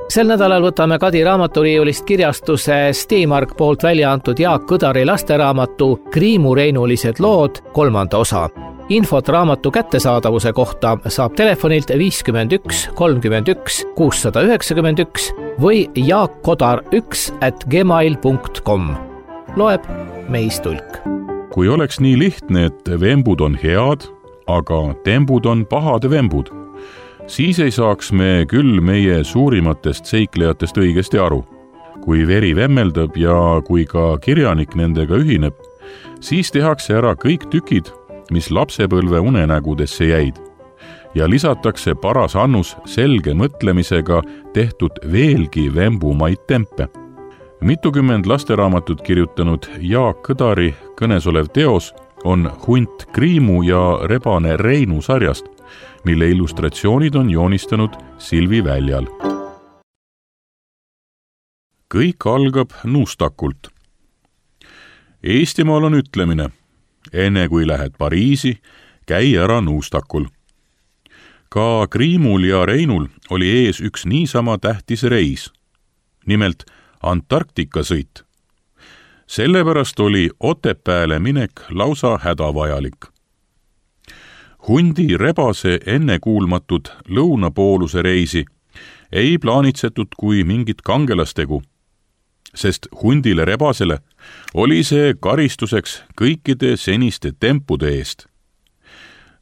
Sel nädalal võtame Kadi raamaturiiulist kirjastuse Steamark poolt välja antud Jaak Kõdari lasteraamatu Kriimu-reinulised lood 3. osa. Infot raamatu kättesaadavuse kohta saab telefonilt 51 31 691 või jaakkodar1@gmail.com. Loeb Meis Tulk. Kui oleks nii lihtne, et vembud on head, aga tembud on pahade vembud, siis ei saaks me küll meie suurimatest seiklejatest õigesti aru. Kui veri vemmeldab ja kui ka kirjanik nendega ühineb, siis tehakse ära kõik tükid, mis lapsepõlve unenägudesse jäid, ja lisatakse paras annus selge mõtlemisega tehtud veelgi vembumaid tempe. Mitukümmend lasteraamatut kirjutanud Jaak Kõdari kõnesolev teos on Hunt Kriimu ja rebane Reinu sarjast, mille illustratsioonid on joonistanud Silvi Väljal. Kõik algab nuustakult. Eestimaal on ütlemine: enne kui lähed Pariisi, käi ära nuustakul. Ka Kriimul ja Reinul oli ees üks niisama tähtis reis, nimelt Antarktika sõit. Sellepärast oli Otepääle minek lausa hädavajalik. Hundi rebase ennekuulmatud lõunapooluse reisi ei plaanitsetud kui mingit kangelastegu, sest hundile rebasele oli see karistuseks kõikide seniste tempude eest.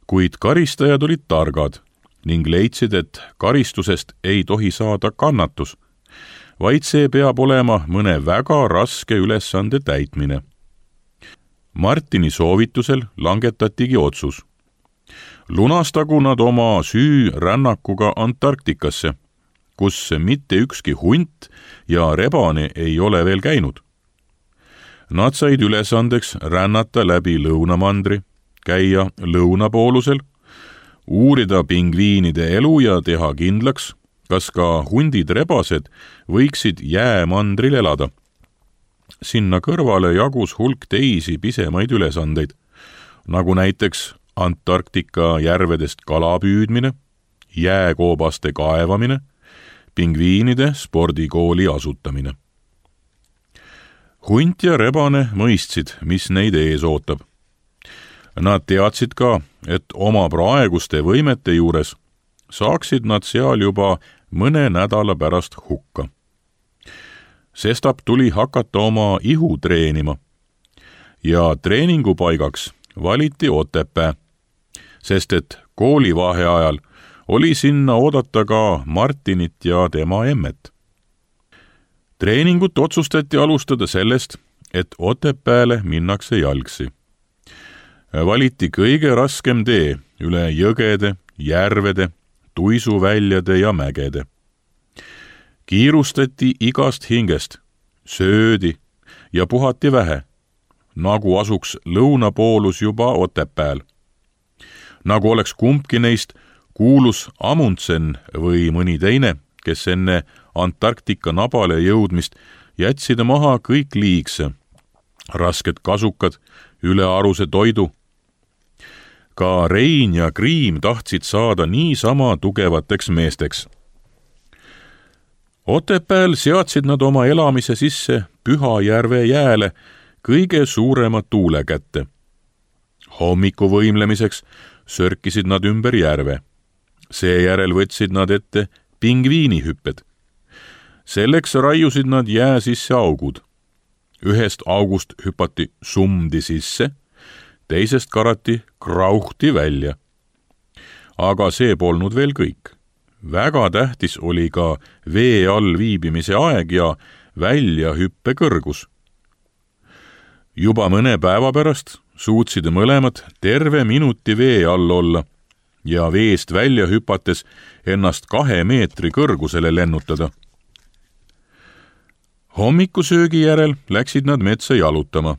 Kuid karistajad olid targad ning leidsid, et karistusest ei tohi saada kannatus, vaid see peab olema mõne väga raske ülesande täitmine. Martini soovitusel langetatigi otsus. Lunastagu nad oma süü rännakuga Antarktikasse, kus mitte ükski hunt ja rebane ei ole veel käinud. Nad said ülesandeks rännata läbi lõunamandri, käia lõunapoolusel, uurida pingviinide elu ja teha kindlaks, kas ka hundid-rebased võiksid jäämandril elada. Sinna kõrvale jagus hulk teisi pisemaid ülesandeid, nagu näiteks Antarktika järvedest kala püüdmine, jääkoobaste kaevamine, pingviinide spordikooli asutamine. Hunt ja rebane mõistsid, mis neid ees ootab. Nad teadsid ka, et oma praeguste võimete juures saaksid nad seal juba mõne nädala pärast hukka. Sestap tuli hakata oma ihu treenima ja treeningupaigaks valiti Otepää, sest et koolivaheajal oli sinna oodata ka Martinit ja tema emmet. Treeningut otsustati alustada sellest, et Otepääle minnakse jalgsi. Valiti kõige raskem tee üle jõgede, järvede, tuisuväljade ja mägede. Kiirustati igast hingest, söödi ja puhati vähe, nagu asuks lõunapoolus juba Otepääl. Nagu oleks kumbki neist kuulus Amundsen või mõni teine, kes enne Antarktika nabale jõudmist jätsid maha kõik liigse, rasked kasukad, ülearuse toidu. Ka Rein ja Kriim tahtsid saada niisama tugevateks meesteks. Otepääl seadsid nad oma elamise sisse Pühajärve jääle kõige suurema tuule kätte. Hommiku võimlemiseks sörkisid nad ümber järve. Seejärel võtsid nad ette pingviinihüpped. Selleks raiusid nad jää sisse augud. Ühest august hüpati sumdi sisse, teisest karati krauhti välja. Aga see polnud veel kõik. Väga tähtis oli ka vee all viibimise aeg ja väljahüppe kõrgus. Juba mõne päeva pärast suutsid mõlemad terve minuti vee all olla ja veest välja hüpates ennast 2 meetri kõrgusele lennutada. Hommikusöögi järel läksid nad metsa jalutama,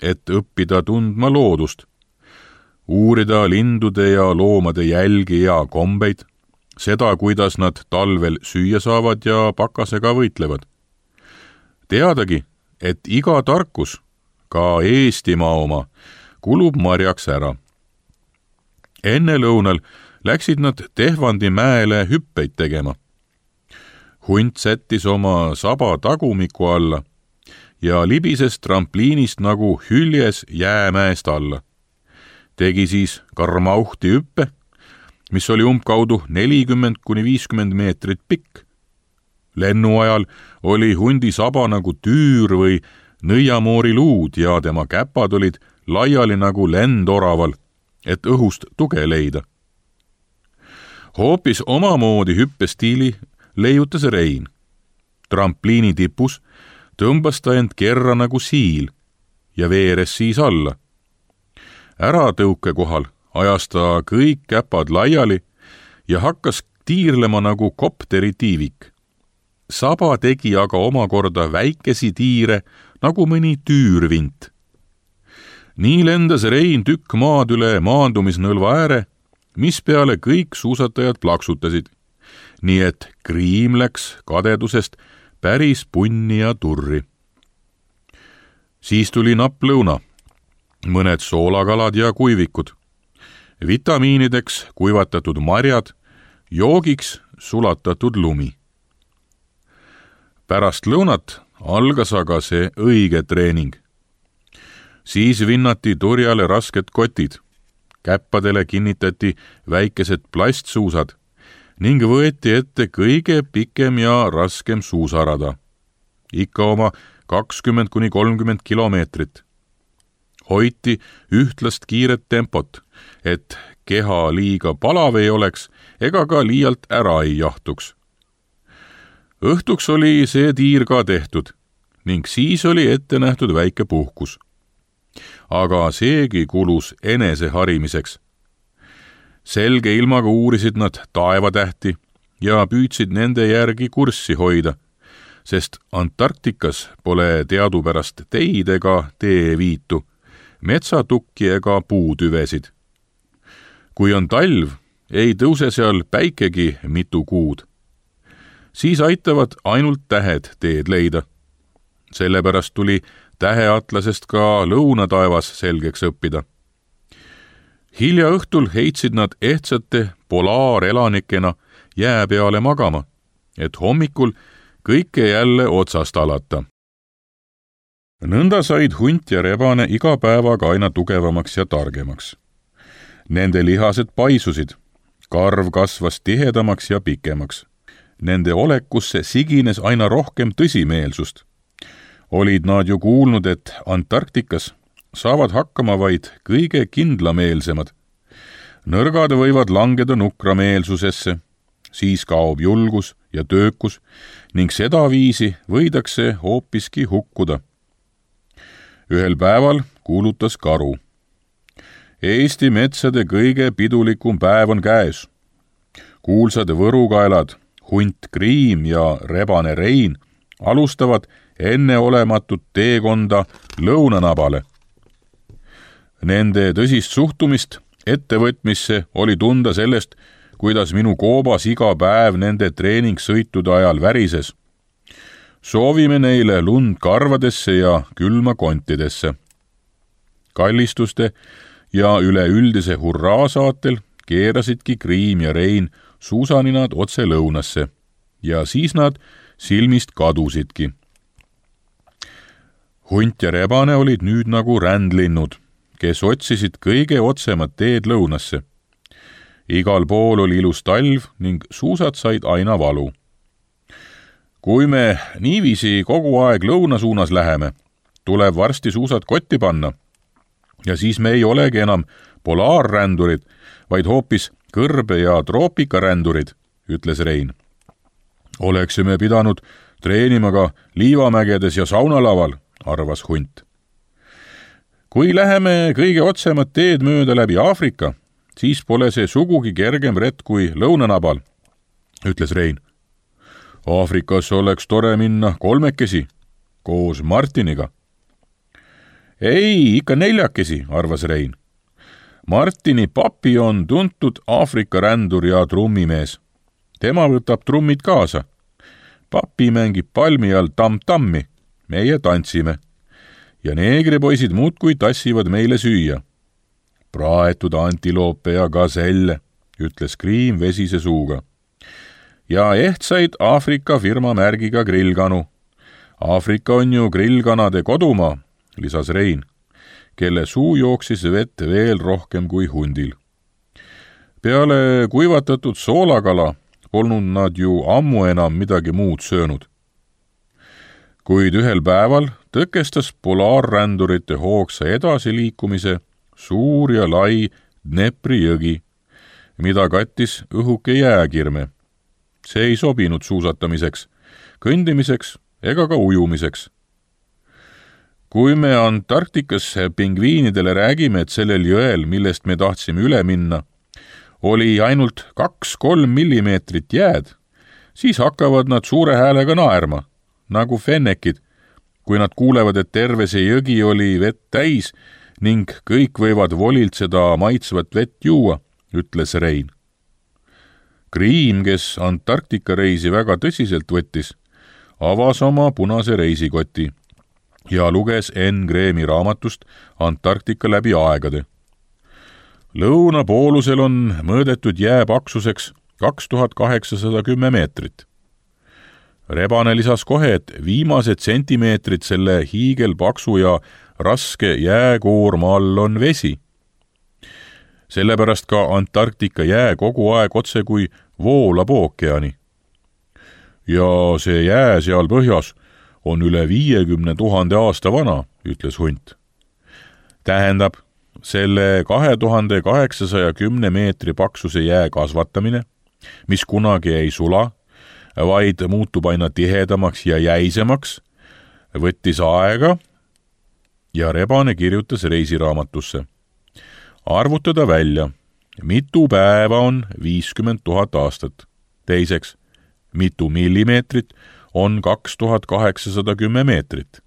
et õppida tundma loodust, uurida lindude ja loomade jälgi ja kombeid, seda, kuidas nad talvel süüa saavad ja pakasega võitlevad. Teadagi, et iga tarkus, ka Eestimaa oma, kulub marjaks ära. Enne lõunal läksid nad Tehvandi mäele hüppeid tegema. Hunt sättis oma saba tagumiku alla ja libises trampliinist nagu hüljes jäämäest alla. Tegi siis karmauhti hüppe, mis oli umbkaudu 40–50 meetrit pikk. Lennu ajal oli hundi saba nagu tüür või nõiamoori luud ja tema käpad olid laiali nagu lendoraval, et õhust tuge leida. Hoopis omamoodi hüppestiili leiutas Rein. Trampliini tipus tõmbas ta end kerra nagu siil ja veeres siis alla. Äratõuke kohal ajas ta kõik käpad laiali ja hakkas tiirlema nagu kopteri tiivik. Saba tegi aga omakorda väikesi tiire nagu mõni tüürvint. Nii lendas Rein tükk maad üle maandumisnõlva ääre, mispeale kõik suusatajad plaksutasid, nii et Kriim läks kadedusest päris punni ja turri. Siis tuli napp lõuna, mõned soolakalad ja kuivikud, vitamiinideks kuivatatud marjad, joogiks sulatatud lumi. Pärast lõunat algas aga see õige treening. Siis vinnati turjale rasked kotid, käppadele kinnitati väikesed plastsuusad ning võeti ette kõige pikem ja raskem suusarada, ikka oma 20–30 kilomeetrit. Hoiti ühtlast kiiret tempot, et keha liiga palav ei oleks ega ka liialt ära ei jahtuks. Õhtuks oli see tiir ka tehtud ning siis oli ette nähtud väike puhkus. Aga seegi kulus enese harimiseks. Selge ilmaga uurisid nad taevatähti ja püüdsid nende järgi kurssi hoida, sest Antarktikas pole teadupärast teid ega teeviitu, metsatukki ega puutüvesid. Kui on talv, ei tõuse seal päikegi mitu kuud. Siis aitavad ainult tähed teed leida. Sellepärast tuli täheatlasest ka lõunataevas selgeks õppida. Hilja õhtul heitsid nad ehtsate polaarelanikena jää peale magama, et hommikul kõike jälle otsast alata. Nõnda said hunt ja rebane iga päevaga aina tugevamaks ja targemaks. Nende lihased paisusid, karv kasvas tihedamaks ja pikemaks. Nende olekusse sigines aina rohkem tõsimeelsust. Olid nad ju kuulnud, et Antarktikas saavad hakkama vaid kõige kindlameelsemad. Nõrgad võivad langeda nukrameelsusesse, siis kaob julgus ja töökus ning sedaviisi võidakse hoopiski hukkuda. Ühel päeval kuulutas karu. Eesti metsade kõige pidulikum päev on käes. Kuulsad võrukaelad, hunt Kriim ja rebane Rein alustavad enneolematut teekonda lõunanabale. Nende tõsist suhtumist ettevõtmisse oli tunda sellest, kuidas minu koobas iga päev nende treeningsõitude ajal värises. Soovime neile lund karvadesse ja külma kontidesse. Kallistuste ja üleüldise hurraasaatel keerasidki Kriim ja Rein suusaninad otse lõunasse ja siis nad silmist kadusidki. Hunt ja rebane olid nüüd nagu rändlinnud, kes otsisid kõige otsemat teed lõunasse. Igal pool oli ilus talv ning suusad said aina valu. Kui me niiviisi kogu aeg lõuna suunas läheme, tuleb varsti suusad kotti panna ja siis me ei olegi enam polaarrändurid, vaid hoopis kõrbe- ja troopikaränduriid, ütles Rein. Oleksime pidanud treenima ka liivamägedes ja saunalaval, arvas hunt. Kui läheme kõige otsemat teed mööda läbi Aafrika, siis pole see sugugi kergem rett kui lõunanabal, ütles Rein. Aafrikas oleks tore minna kolmekesi, koos Martiniga. Ei, ikka 4, arvas Rein. Martini papi on tuntud Aafrika rändur ja trummimees. Tema võtab trummid kaasa. Papi mängib palmi all tam-tammi, meie tantsime. Ja neegripoisid muudkui tassivad meile süüa. Praetud antiloope ja gaselle, ütles Kriim vesise suuga. ja ehtsaid Aafrika firma märgiga grillkanu. Aafrika on ju grillkanade kodumaa, lisas Rein, kelle suu jooksis vett veel rohkem kui hundil. Peale kuivatatud soolakala polnud nad ju ammu enam midagi muud söönud. Kuid ühel päeval tõkestas polaarrändurite hoogsa edasiliikumise suur ja lai Dnepri jõgi, mida kattis õhuke jääkirme. See ei sobinud suusatamiseks, kõndimiseks ega ka ujumiseks. Kui me Antarktikas pingviinidele räägime, et sellel jõel, millest me tahtsime üle minna, oli ainult 2-3 millimeetrit jääd, siis hakkavad nad suure häälega naerma, nagu fennekid, kui nad kuulevad, et terve see jõgi oli vett täis ning kõik võivad volilt seda maitsvat vett juua, ütles Rein. Kriim, kes Antarktika reisi väga tõsiselt võttis, avas oma punase reisikoti ja luges N. Gremi raamatust Antarktika läbi aegade. Lõunapoolusel on mõõdetud jää paksuseks 2810 meetrit. Rebane lisas kohe, et viimased sentimeetrid selle hiigelpaksu ja raske jääkoorma all on vesi. Sellepärast ka Antarktika jää kogu aeg otse kui voolab ookeani. Ja see jää seal põhjas on üle 50 000 aasta vana, ütles hunt. Tähendab, selle 2810 meetri paksuse jää kasvatamine, mis kunagi ei sula, vaid muutub aina tihedamaks ja jäisemaks, võttis aega ja Rebane kirjutas reisiraamatusse. Arvutada välja, mitu päeva on 50 000 aastat. Teiseks, mitu millimeetrit on 2810 meetrit.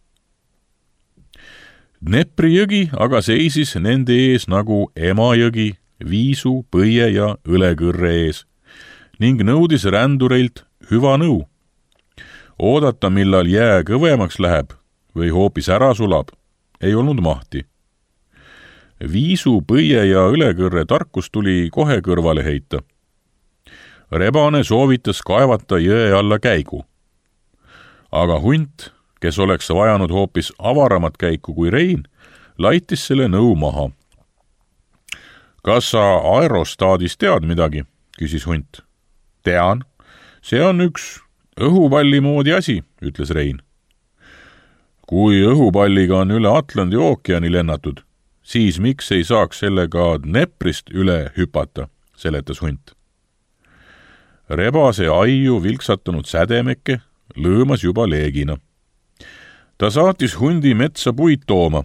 Dnepri jõgi aga seisis nende ees nagu Emajõgi, Viisu, Põie ja Õlekõrre ees ning nõudis rändureilt hüva nõu. Oodata, millal jää kõvemaks läheb või hoopis ära sulab, ei olnud mahti. Viisu, Põie ja Õlekõrre tarkus tuli kohe kõrvale heita. Rebane soovitas kaevata jõe alla käigu. Aga hunt, kes oleks vajanud hoopis avaramat käiku kui Rein, laitis selle nõu maha. Kas sa aerostaadist tead midagi, küsis hunt. Tean, see on üks õhupalli moodi asi, ütles Rein. Kui õhupalliga on üle Atlandi ookeani lennatud, siis miks ei saaks sellega Dneprist üle hüpata, seletas hunt. Rebase aiu vilksatanud sädemeke lõõmas juba leegina. Ta saatis hundi metsa puid tooma,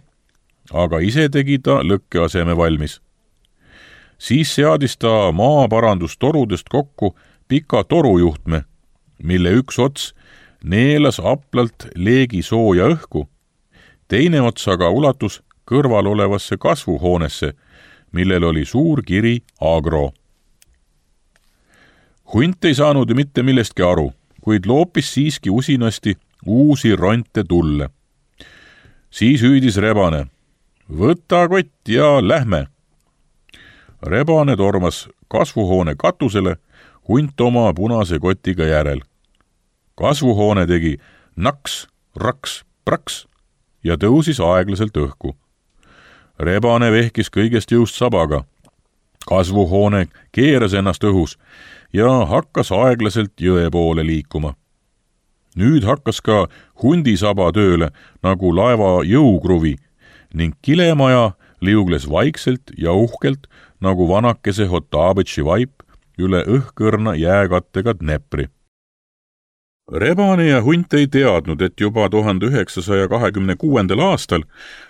aga ise tegi ta lõkkeaseme valmis. Siis seadis ta maaparandustorudest kokku pika torujuhtme, mille üks ots neelas aplalt leegi sooja õhku, teine ots aga ulatus kõrval olevasse kasvuhoonesse, millel oli suur kiri Agro. Hunt ei saanud mitte millestki aru, kuid loopis siiski usinasti uusi ronte tulle. Siis hüüdis Rebane, võta kott ja lähme. Rebane tormas kasvuhoone katusele, hunt oma punase kotiga järel. Kasvuhoone tegi naks, raks, praks ja tõusis aeglaselt õhku. Rebane vehkis kõigest jõust sabaga. Kasvuhoone keeras ennast õhus ja hakkas aeglaselt jõe poole liikuma. Nüüd hakkas ka hundisaba tööle nagu laeva jõukruvi ning kilemaja liugles vaikselt ja uhkelt nagu vanakese Hotabetši vaip üle õhkõrna jääkattega Dnepri. Rebane ja hunt ei teadnud, et juba 1926. aastal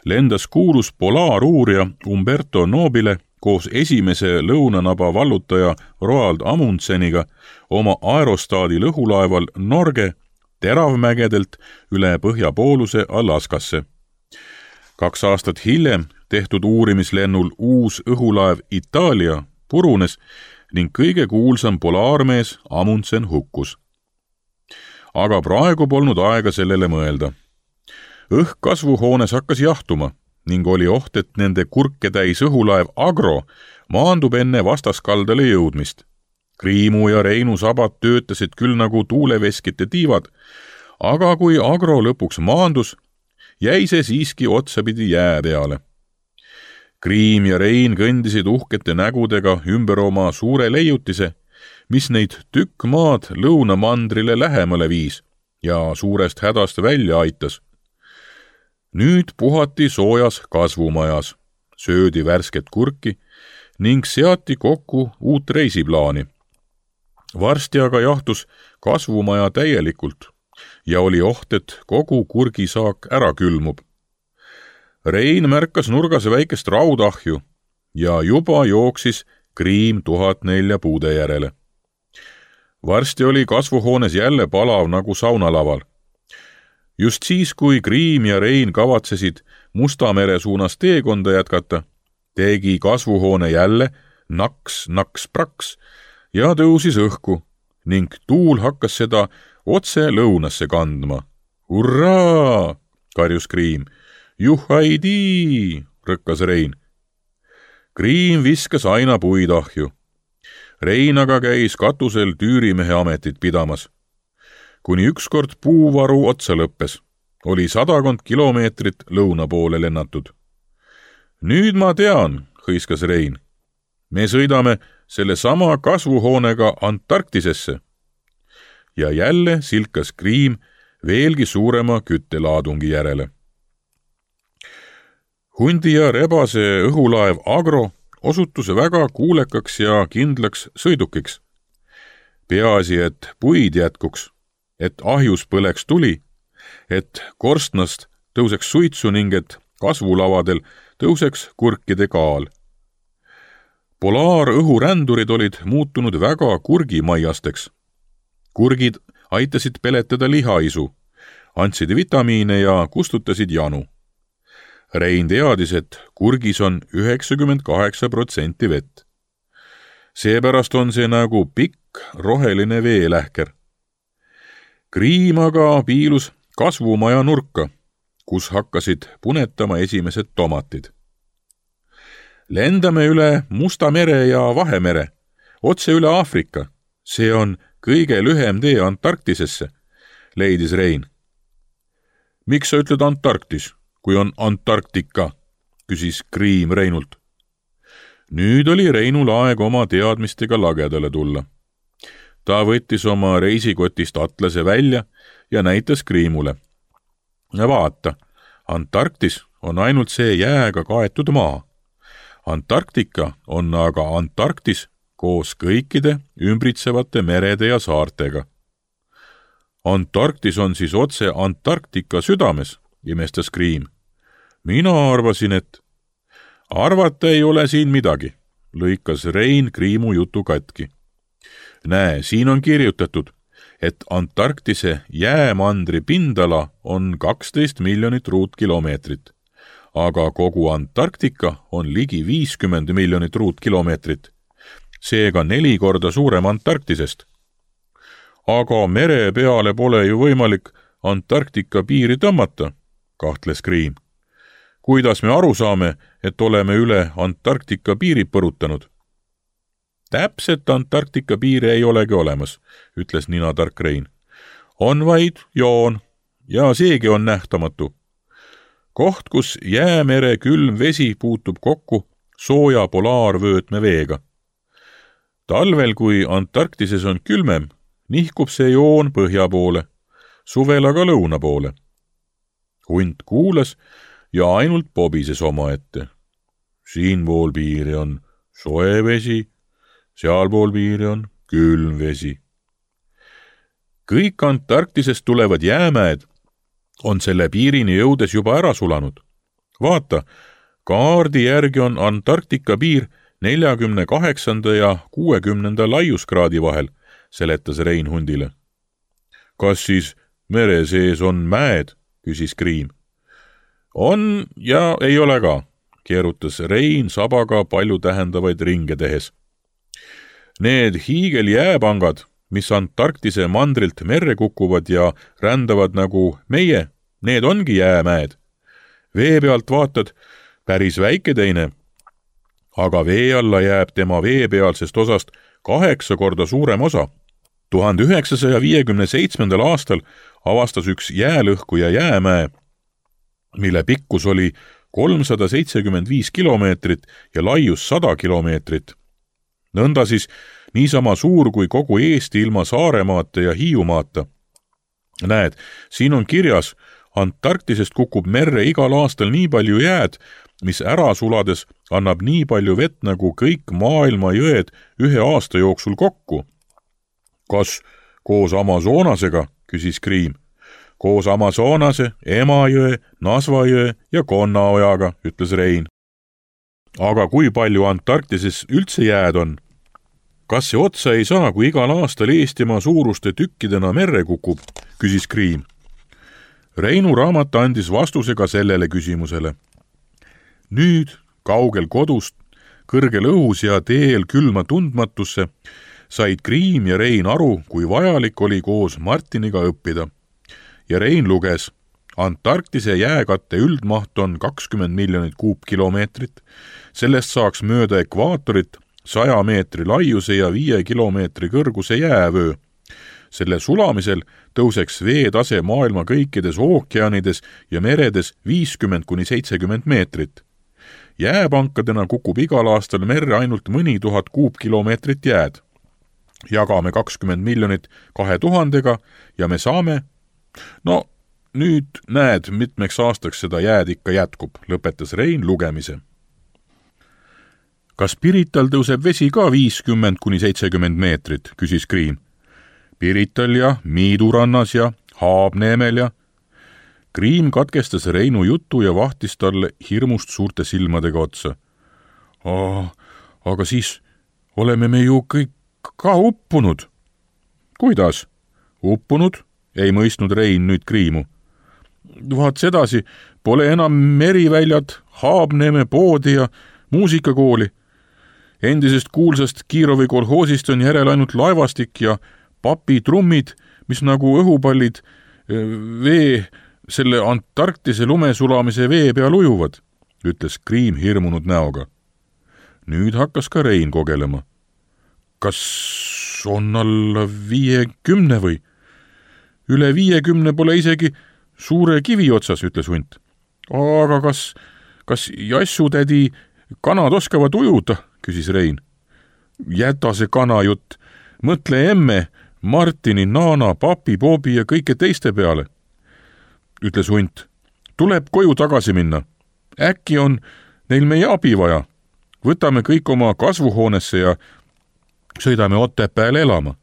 lendas kuulus polaaruurija Umberto Nobile koos esimese lõunanaba vallutaja Roald Amundseniga oma aerostaadi lõhulaeval Norge teravmägedelt üle põhjapooluse Alaskasse. 2 aastat hiljem tehtud uurimislennul uus õhulaev Itaalia purunes ning kõige kuulsam polaarmees Amundsen hukkus. Aga praegu polnud aega sellele mõelda. Õhk kasvuhoones hakkas jahtuma ning oli oht, et nende kurke täis õhulaev Agro maandub enne vastaskaldale jõudmist. Kriimu ja Reinu sabad töötasid küll nagu tuuleveskite tiivad, aga kui Agro lõpuks maandus, jäi see siiski otsapidi jää peale. Kriim ja Rein kõndisid uhkete nägudega ümber oma suure leiutise, mis neid tükk maad lõunamandrile lähemale viis ja suurest hädast välja aitas. Nüüd puhati soojas kasvumajas, söödi värsket kurki ning seati kokku uut reisiplaani. Varsti aga jahtus kasvumaja täielikult ja oli oht, et kogu kurgisaak ära külmub. Rein märkas nurgas väikest raudahju ja juba jooksis Kriim 1004 puude järele. Varsti oli kasvuhoones jälle palav nagu saunalaval. Just siis, kui Kriim ja Rein kavatsesid Musta mere suunas teekonda jätkata, tegi kasvuhoone jälle naks-naks-praks ja tõusis õhku ning tuul hakkas seda otse lõunasse kandma. Hurraa, karjus Kriim. Juhaidii, rõkkas Rein. Kriim viskas aina puid ahju. Rein aga käis katusel tüürimehe ametit pidamas. Kuni ükskord puuvaru otsa lõppes, oli 100 kilomeetrit lõuna poole lennatud. Nüüd ma tean, hõiskas Rein. Me sõidame selle sama kasvuhoonega Antarktisesse. Ja jälle silkas Kriim veelgi suurema küttelaadungi järele. Hundi ja rebase õhulaev Agro osutus väga kuulekaks ja kindlaks sõidukiks. Peaasi, et puid jätkuks, et ahjus põleks tuli, et korstnast tõuseks suitsu ning et kasvulavadel tõuseks kurkide kaal. Polaarõhurändurid olid muutunud väga kurgimaiasteks. Kurgid aitasid peletada lihaisu, andsid vitamiine ja kustutasid janu. Rein teadis, et kurgis on 98% vett. Seepärast on see nagu pikk roheline veelähker. Kriim aga piilus kasvumaja nurka, kus hakkasid punetama esimesed tomatid. Lendame üle Musta mere ja Vahemere, otse üle Aafrika. See on kõige lühem tee Antarktisesse, leidis Rein. Miks sa ütled Antarktis, kui on Antarktika, küsis Kriim Reinult. Nüüd oli Reinul aeg oma teadmistega lagedale tulla. Ta võttis oma reisikotist atlase välja ja näitas Kriimule. Vaata, Antarktis on ainult see jääga kaetud maa. Antarktika on aga Antarktis koos kõikide ümbritsevate merede ja saartega. Antarktis on siis otse Antarktika südames, imestas Kriim. Mina arvasin, et arvata ei ole siin midagi, lõikas Rein Kriimu jutu katki. Näe, siin on kirjutatud, et Antarktise jäämandri pindala on 12 miljonit ruutkilomeetrit, aga kogu Antarktika on ligi 50 miljonit ruutkilomeetrit, seega 4 korda suurem Antarktisest. Aga mere peale pole ju võimalik Antarktika piiri tõmmata, kahtles Kriim. Kuidas me aru saame, et oleme üle Antarktika piiri põrutanud? Täpset Antarktika piiri ei olegi olemas, ütles ninatark Rein. On vaid joon ja seegi on nähtamatu. Koht, kus jäämere külm vesi puutub kokku sooja polaarvöötme veega. Talvel, kui Antarktises on külmem, nihkub see joon põhja poole, suvel aga lõuna poole. Hunt kuulas ja ainult pobises omaette. Siinpool piiri on soe vesi, sealpool piiri on külm vesi. Kõik Antarktisest tulevad jäämäed on selle piirini jõudes juba ära sulanud. Vaata, kaardi järgi on Antarktika piir 48. ja 60. laiuskraadi vahel, seletas Rein hundile. Kas siis mere sees on mäed, küsis Kriim. On ja ei ole ka, keerutas Rein sabaga palju tähendavaid ringe tehes. Need hiigeljääpangad, mis Antarktise mandrilt merre kukuvad ja rändavad nagu meie, need ongi jäämäed. Vee pealt vaatad päris väike teine, aga vee alla jääb tema veepealsest osast 8 korda suurem osa. 1957. aastal avastas üks jäälõhkuja jäämäe, mille pikkus oli 375 kilomeetrit ja laius 100 kilomeetrit. Nõnda siis niisama suur kui kogu Eesti ilma Saaremaata ja Hiiumaata. Näed, siin on kirjas, Antarktisest kukub merre igal aastal nii palju jääd, mis ära sulades annab nii palju vett nagu kõik maailma jõed ühe aasta jooksul kokku. Kas koos Amazonasega, küsis Kriim. Koos Amazonase, Emajõe, Nasvajõe ja Konnaojaga, ütles Rein. Aga kui palju Antarktises üldse jääd on? Kas see otsa ei saa, kui igal aastal Eestimaa suuruste tükkidena merre kukub, küsis Kriim. Reinu raamat andis vastuse ka sellele küsimusele. Nüüd, kaugel kodust, kõrgel õhus ja teel külma tundmatusse, said Kriim ja Rein aru, kui vajalik oli koos Martiniga õppida. Ja Rein luges, Antarktise jääkatte üldmaht on 20 miljonit kuupkilomeetrit, sellest saaks mööda ekvaatorit 100 meetri laiuse ja 5 kilomeetri kõrguse jäävöö. Selle sulamisel tõuseks veetase maailma kõikides ookeanides ja meredes 50–70 meetrit. Jääpankadena kukub igal aastal merre ainult mõni 1000 kuupkilomeetrit jääd. Jagame 20 miljonit 2000-ga ja me saame... No, nüüd näed, mitmeks aastaks seda jääd ikka jätkub, lõpetas Rein lugemise. Kas Pirital tõuseb vesi ka 50–70 meetrit, küsis Kriim. Pirital ja Miidurannas ja Haabneemel ja... Kriim katkestas Reinu jutu ja vahtis talle hirmust suurte silmadega otsa. Aga siis oleme me ju kõik ka uppunud. Kuidas? Uppunud? Ei mõistnud Rein nüüd Kriimu. Vaat sedasi, pole enam meriväljad, Haabneeme poodi ja muusikakooli. Endisest kuulsast Kiirovi kolhoosist on järel ainult laevastik ja papitrummid, mis nagu õhupallid selle Antarktise lumesulamise vee peal ujuvad, ütles Kriim hirmunud näoga. Nüüd hakkas ka Rein kogelema. Kas on alla 50 või? Üle 50 pole isegi suure kivi otsas, ütles hunt. Aga kas jassutädi kanad oskavad ujuda, küsis Rein. Jäta see kanajutt, mõtle emme, Martini, Naana, papi, Bobi ja kõike teiste peale, ütles hunt. Tuleb koju tagasi minna. Äkki on neil meie abi vaja. Võtame kõik oma kasvuhoonesse ja sõidame Otepääle elama.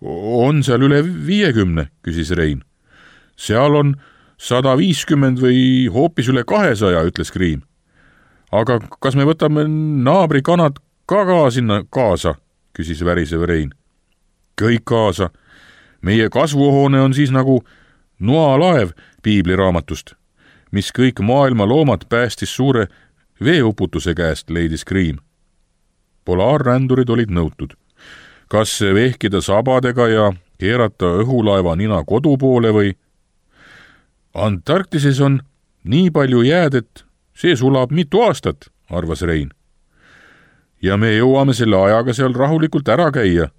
On seal üle 50, küsis Rein. Seal on 150 või hoopis üle 200, ütles Kriim. Aga kas me võtame naabrikanad ka sinna kaasa, küsis värisev Rein. Kõik kaasa. Meie kasvuhoone on siis nagu noalaev piibliraamatust, mis kõik maailma loomad päästis suure veeuputuse käest, leidis Kriim. Polaarrändurid olid nõutud. Kas vehkida sabadega ja keerata õhulaeva nina kodu poole või? Antarktises on nii palju jääd, et see sulab mitu aastat, arvas Rein. Ja me jõuame selle ajaga seal rahulikult ära käia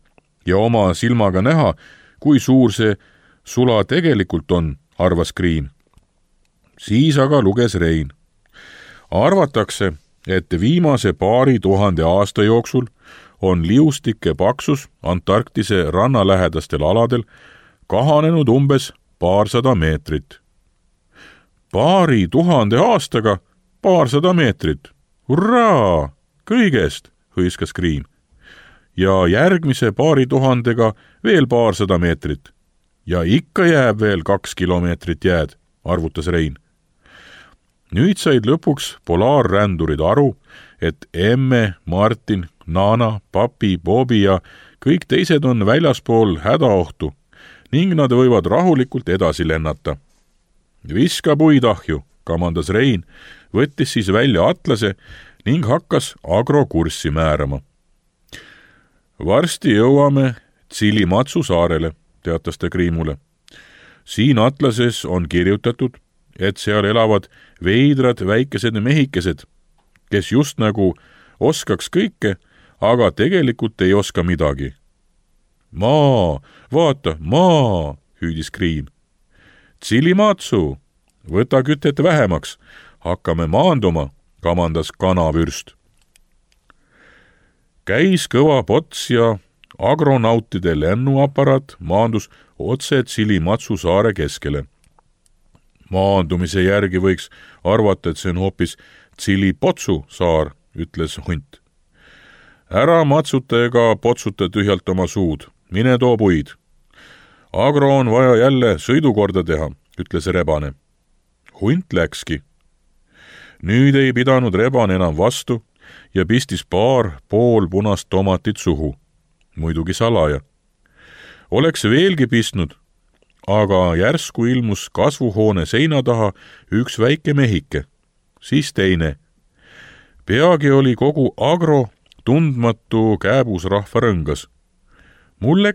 ja oma silmaga näha, kui suur see sula tegelikult on, arvas Kriim. Siis aga luges Rein. Arvatakse, et viimase 2000 aasta jooksul on liustike paksus Antarktise rannalähedastel aladel kahanenud umbes 200 meetrit. 2000 aastaga 200 meetrit. Hurraa! Kõigest, hõiskas Kriim. Ja järgmise 2000-ga veel 200 meetrit. Ja ikka jääb veel 2 kilomeetrit jääd, arvutas Rein. Nüüd said lõpuks polaarrändurid aru, et emme, Martin, Naana, papi, Bobi ja kõik teised on väljaspool hädaohtu ning nad võivad rahulikult edasi lennata. Viska puid ahju, kamandas Rein, võttis siis välja atlase ning hakkas agrokurssi määrama. Varsti jõuame Tsilimatsu saarele, teatas ta Kriimule. Siin atlases on kirjutatud, et seal elavad veidrad väikesed mehikesed, kes just nagu oskaks kõike, aga tegelikult ei oska midagi. Maa, vaata, maa, hüüdis Kriim. Tsilimatsu, võta kütet vähemaks, hakkame maanduma, kamandas kanavürst. Käis kõva pots ja agronautide lennuaparaat maandus otse Tsilimatsu saare keskele. Maandumise järgi võiks arvata, et see on hoopis Tsilipotsu saar, ütles hunt. Ära matsuta ega potsuta tühjalt oma suud, mine too puid. Agro on vaja jälle sõidukorda teha, ütles rebane. Hunt läkski. Nüüd ei pidanud rebane enam vastu ja pistis paar poolpunast tomatit suhu, muidugi salaja. Oleks veelgi pistnud, aga järsku ilmus kasvuhoone seina taha üks väike mehike, siis teine. Peagi oli kogu Agro tundmatu kääbusrahva rõngas. Mulle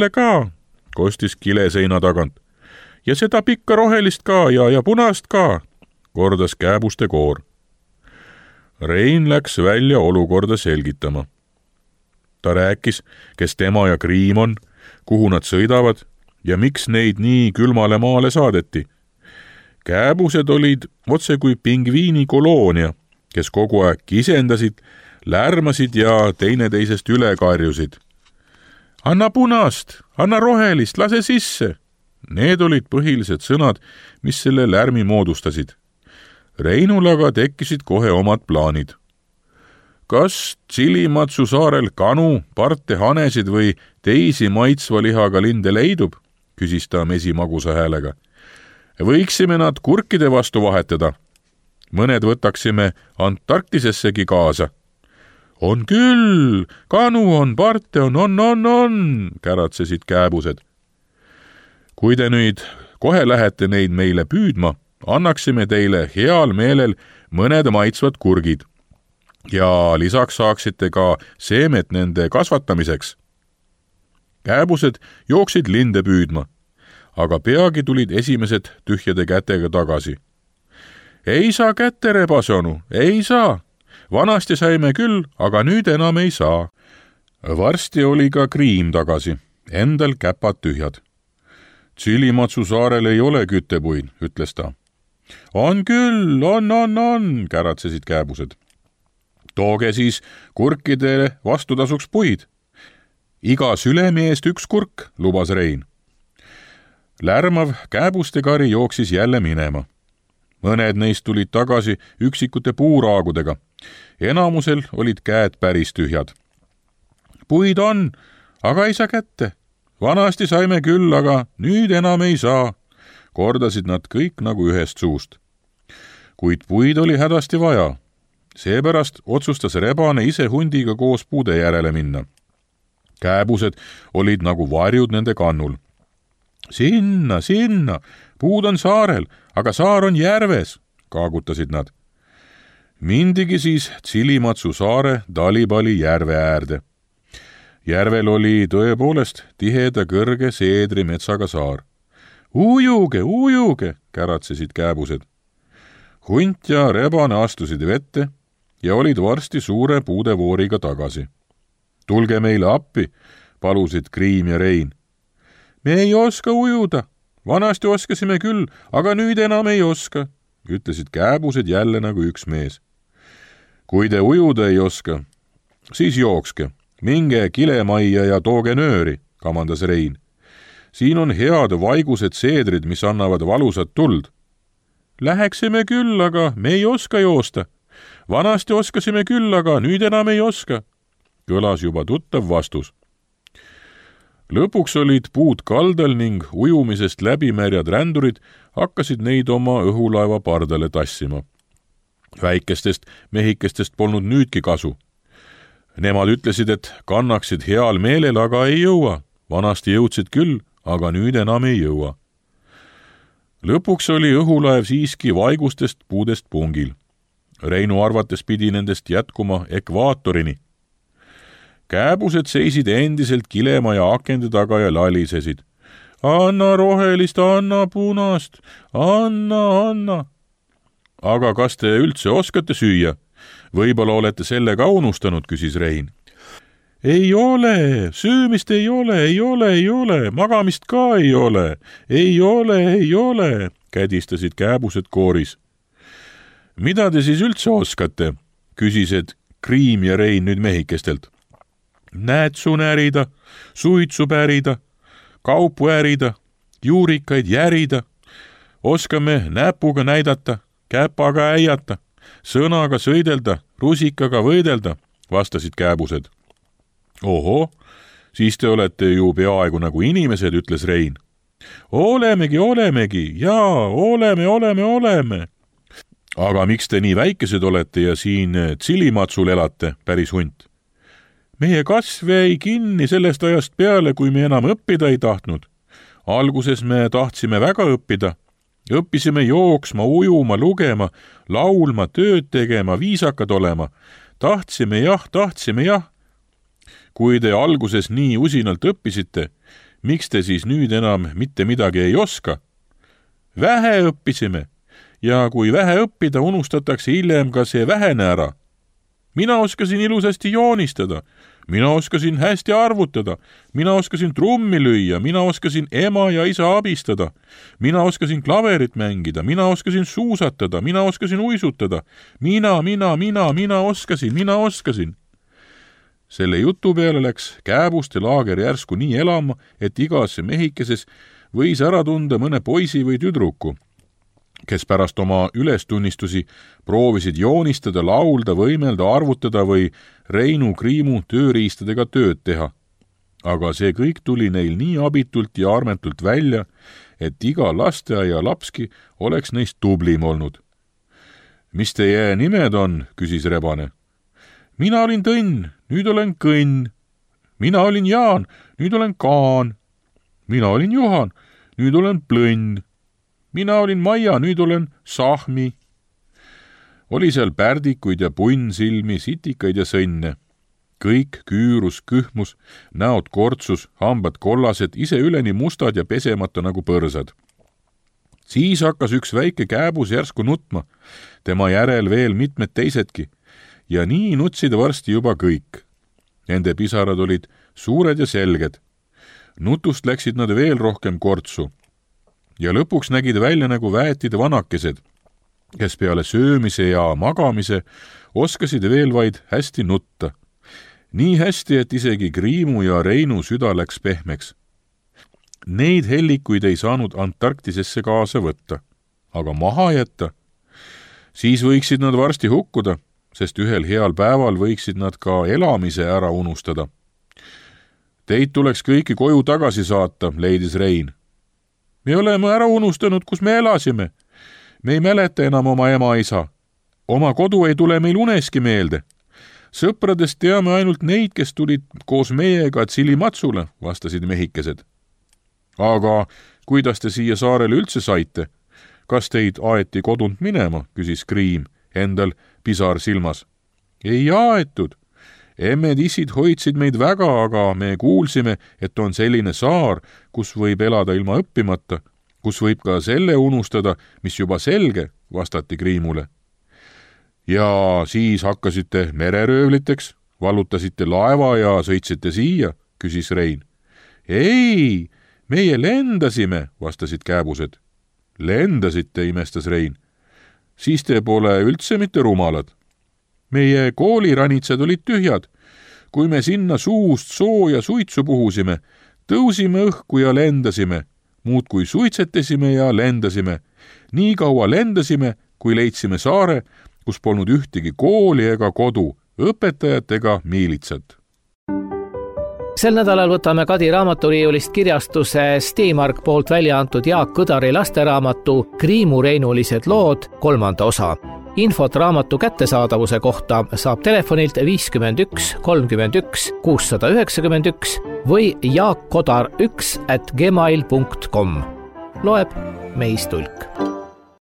ka, kostis kile seina tagant. Ja seda pikka rohelist ka ja punast ka, kordas kääbuste koor. Rein läks välja olukorda selgitama. Ta rääkis, kes tema ja Kriim on, kuhu nad sõidavad ja miks neid nii külmale maale saadeti. Kääbused olid otse kui pingviini koloonia, kes kogu aeg kisendasid, lärmasid ja teineteisest üle karjusid. Anna punast, anna rohelist, lase sisse. Need olid põhilised sõnad, mis selle lärmi moodustasid. Reinul aga tekkisid kohe omad plaanid. Kas Tsilimatsu saarel kanu, parte hanesid või teisi maitsva lihaga linde leidub, küsis ta mesimagusa häälega. Võiksime nad kurkide vastu vahetada. Mõned võtaksime Antarktisessegi kaasa. On küll, kanu on, parte on, käratsesid kääbused. Kui te nüüd kohe lähete neid meile püüdma, annaksime teile heal meelel mõned maitsvad kurgid ja lisaks saaksite ka seemet nende kasvatamiseks. Kääbused jooksid linde püüdma, aga peagi tulid esimesed tühjade kätega tagasi. Ei saa kätte, rebasonu, ei saa. Vanasti saime küll, aga nüüd enam ei saa. Varsti oli ka Kriim tagasi, endal käpad tühjad. Tsilimatsu saarel ei ole küttepuid, ütles ta. On küll, on, käratsesid kääbused. Tooge siis kurkidele vastutasuks puid. Iga sülemi eest üks kurk, lubas Rein. Lärmav kääbuste kari jooksis jälle minema. Mõned neist tulid tagasi üksikute puuraagudega. Enamusel olid käed päris tühjad. Puid on, aga ei saa kätte. Vanasti saime küll, aga nüüd enam ei saa, kordasid nad kõik nagu ühest suust. Kuid puid oli hädasti vaja. Seepärast otsustas rebane ise hundiga koos puude järele minna. Kääbused olid nagu varjud nende kannul. Sinna, puud on saarel, aga saar on järves, kaagutasid nad. Mindigi siis Tsilimatsu saare Talipali järve äärde. Järvel oli tõepoolest tiheda kõrge seedrimetsaga saar. Ujuge, käratsesid kääbused. Hunt ja rebane astusid vette ja olid varsti suure puudevooriga tagasi. Tulge meile appi, palusid Kriim ja Rein. Me ei oska ujuda. Vanasti oskasime küll, aga nüüd enam ei oska, ütlesid kääbused jälle nagu üks mees. Kui te ujuda ei oska, siis jookske. Minge kilemajja ja tooge nööri, kamandas Rein. Siin on head vaigused seedrid, mis annavad valusat tuld. Läheksime küll, aga me ei oska joosta. Vanasti oskasime küll, aga nüüd enam ei oska, kõlas juba tuttav vastus. Lõpuks olid puud kaldal ning ujumisest läbimärjad rändurid hakkasid neid oma õhulaeva pardale tassima. Väikestest mehikestest polnud nüüdki kasu. Nemad ütlesid, et kannaksid heal meelel, aga ei jõua. Vanasti jõudsid küll, aga nüüd enam ei jõua. Lõpuks oli õhulaev siiski vaigustest puudest pungil. Reinu arvates pidi nendest jätkuma ekvaatorini. Kääbused seisid endiselt kilemaja akende taga ja lalisesid. Anna rohelist, anna punast, anna. Aga kas te üldse oskate süüa? Võib-olla olete selle ka unustanud, küsis Rein. ei ole, söömist ei ole, magamist ka ei ole, kädistasid kääbused kooris. Mida te siis üldse oskate, küsisid Kriim ja Rein nüüd mehikestelt. Näätsu närida, suitsu pärida, kaupu ärida, juurikaid järida, oskame näpuga näidata, käpaga äiata, sõnaga sõidelda, rusikaga võidelda, vastasid kääbused. Oho, siis te olete ju peaaegu nagu inimesed, ütles Rein. Olemegi, jaa, oleme. Aga miks te nii väikesed olete ja siin Tsilimatsul elate, päris hunt? Meie kasv jäi kinni sellest ajast peale, kui me enam õppida ei tahtnud. Alguses me tahtsime väga õppida. Õppisime jooksma, ujuma, lugema, laulma, tööd tegema, viisakad olema. Tahtsime jah. Kui te alguses nii usinalt õppisite, miks te siis nüüd enam mitte midagi ei oska? Vähe õppisime ja kui vähe õppida, unustatakse hiljem ka see vähene ära. Mina oskasin ilusasti joonistada, mina oskasin hästi arvutada, mina oskasin trummi lüüa, mina oskasin ema ja isa abistada, mina oskasin klaverit mängida, mina oskasin suusatada, mina oskasin uisutada, mina oskasin. Selle jutu peale läks kääbuste laager järsku nii elama, et igas mehikeses võis ära tunda mõne poisi või tüdruku, kes pärast oma ülestunnistusi proovisid joonistada, laulda, võimelda, arvutada või Reinu Kriimu tööriistadega tööd teha. Aga see kõik tuli neil nii abitult ja armetult välja, et iga lasteaia lapski oleks neist tublim olnud. Mis teie nimed on, küsis Rebane. Mina olin Tõnn, nüüd olen Kõnn. Mina olin Jaan, nüüd olen Kaan. Mina olin Juhan, nüüd olen Plõnn. Mina olin Maia, nüüd olen Sahmi. Oli seal pärdikuid ja punnsilmi, sitikaid ja sõnne. Kõik küürus, kühmus, näod kortsus, hambad kollased, ise üleni mustad ja pesemata nagu põrsad. Siis hakkas üks väike kääbus järsku nutma, tema järel veel mitmed teisedki, ja nii nutsid varsti juba kõik. Nende pisarad olid suured ja selged. Nutust läksid nad veel rohkem kortsu. Ja lõpuks nägid välja nagu väetid vanakesed, kes peale söömise ja magamise oskasid veel vaid hästi nutta. Nii hästi, et isegi Kriimu ja Reinu süda läks pehmeks. Neid hellikuid ei saanud Antarktisesse kaasa võtta, aga maha jätta. Siis võiksid nad varsti hukkuda, sest ühel heal päeval võiksid nad ka elamise ära unustada. Teid tuleks kõiki koju tagasi saata, leidis Rein. Me oleme ära unustanud, kus me elasime. Me ei mäleta enam oma ema-isa. Oma kodu ei tule meil uneski meelde. Sõpradest teame ainult neid, kes tulid koos meiega Tsilimatsule, vastasid mehikesed. Aga kuidas te siia saarele üldse saite? Kas teid aeti kodunt minema, küsis Kriim, endal pisar silmas. Ei aetud. Emmed-issid hoidsid meid väga, aga me kuulsime, et on selline saar, kus võib elada ilma õppimata, kus võib ka selle unustada, mis juba selge, vastati Kriimule. Ja siis hakkasite mereröövliteks, vallutasite laeva ja sõitsite siia, küsis Rein. Ei, meie lendasime, vastasid kääbused. Lendasite, imestas Rein. Siis te pole üldse mitte rumalad. Meie kooliranitsad olid tühjad. Kui me sinna suust sooja suitsu puhusime, tõusime õhku ja lendasime, muud kui suitsetasime ja lendasime. Nii kaua lendasime, kui leidsime saare, kus polnud ühtegi kooli ega kodu, õpetajat ega miilitsat. Sel nädalal võtame Kadi raamaturiiulist kirjastuse Steemark poolt välja antud Jaak Kõdari lasteraamatu Kriimu reinulised lood 3. osa. Infot raamatu kättesaadavuse kohta saab telefonilt 51 31 691 või jaakkodar1@gmail.com. Loeb Meis Tulk.